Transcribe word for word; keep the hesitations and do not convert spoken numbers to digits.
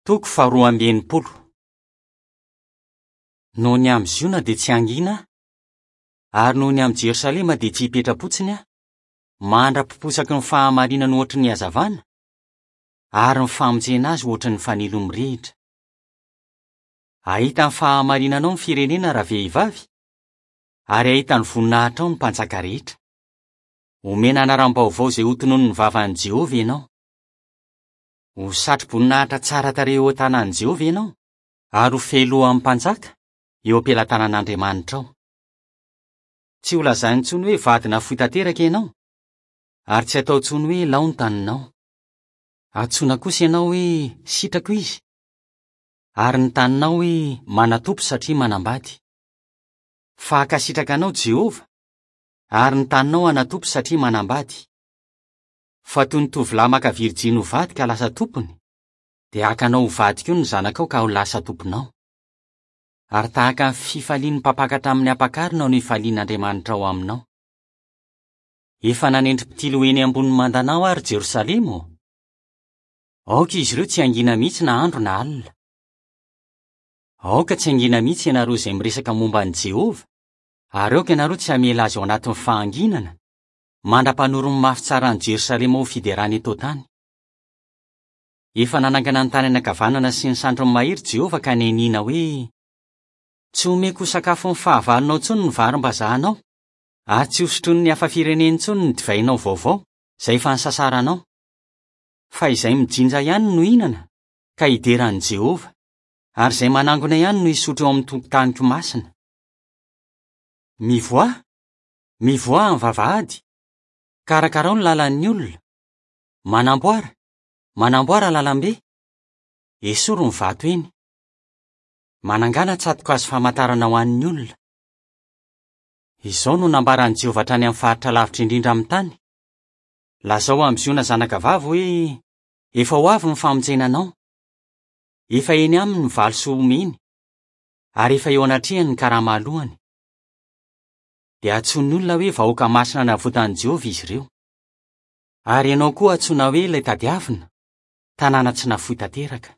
Toko faharoa amby enimpolo. Noho ny amin'i Ziona dia tsy hangina aho, ary noho ny amin'i Jerosalema dia tsy hipetra-potsiny aho, mandra-piposaky ny fahamarinany ohatry ny hazavana, ary ny famonjena azy ohatry ny fanilo mirehitra. Hahita ny fahamarinanao ny firenena ravehivavy, ary hahita ny voninahitrao ny mpanjaka rehetra. Homena anaram-baovao izay hotononin'ny vavan'i Jehovah ianao. Ho satroboninahitra tsara tarehy eo an-tanan'i Jehovah ianao, ary ho fehilohan'ny mpanjaka eo am-pelatanan'Andriamanitrao. Tsy ho lazaina intsony hoe vady nafoy tanteraka ianao, ary tsy hatao intsony hoe lao ny taninao. Antsoina kosa ianao hoe sitrako izy, ary ny taninao hoe manatompo satria manambady. Fa hankasitraka anao Jehovah, ary ny taninao hanatompo satria manambady. Fa toy ny tovolahy maka virjiny ho vady ka lasa tompony, dia haka anao ho vady koa ny zanakao ka ho lasa tomponao. Ary tahaka ny fifalian'ny mpampakatra amin'ny ampakarina no hifalian'Andriamanitrao aminao. Efa nanendry mpitily ho eny ambonin'ny mandanao aho, ry Jerosalema ô! Aoka izy ireo tsy hangina mihitsy na andro na alina. Aoka tsy hangina mihitsy ianareo izay miresaka momba an'i Jehovah, ary aoka ianareo tsy hamela azy ao anatin'ny fahanginana, mandra-panorony mafy tsara an'i Jerosalema ho fiderana eto an-tany. Efa nanangana ny tanany ankavanana sy ny sandriny mahery Jehovah ka nianiana hoe, Tsy homeko ho sakafon'ny fahavalonao intsony ny varimbazahanao, ary tsy hosotroin'ny hafa firenena intsony ny divainao vaovao, izay efa nisasaranao. Fa izay mijinja ihany no hihinana, ka hidera an'i Jehovah, ary izay manangona ihany no hisotro eo amin'ny tokotaniko masina. Mivoaha, mivoaha amin'ny vavahady, kaраkarao ny lalan'ny olona, manamboara, manamboara lalambe, esory ny vato eny. Manangàna tsato-kazo famantarana ho an'ny olona. Izao no nambaran'i Jehovah hatrany amin'ny faritra lavitra indrindra amin'ny tany: Lazao amin'i Ziona zanakavavy hoe, Efa ho avy ny famonjena anao. Efa eny aminy ny valisoa omeny, ary efa eo anatrehany ny karama alohany. Dia antsoin'ny olona hoe vahoaka masina navotan'i Jehovah izy ireo. Ary ianao koa antsoina hoe ilay tadiavina, tanàna tsy nafoy tanteraka.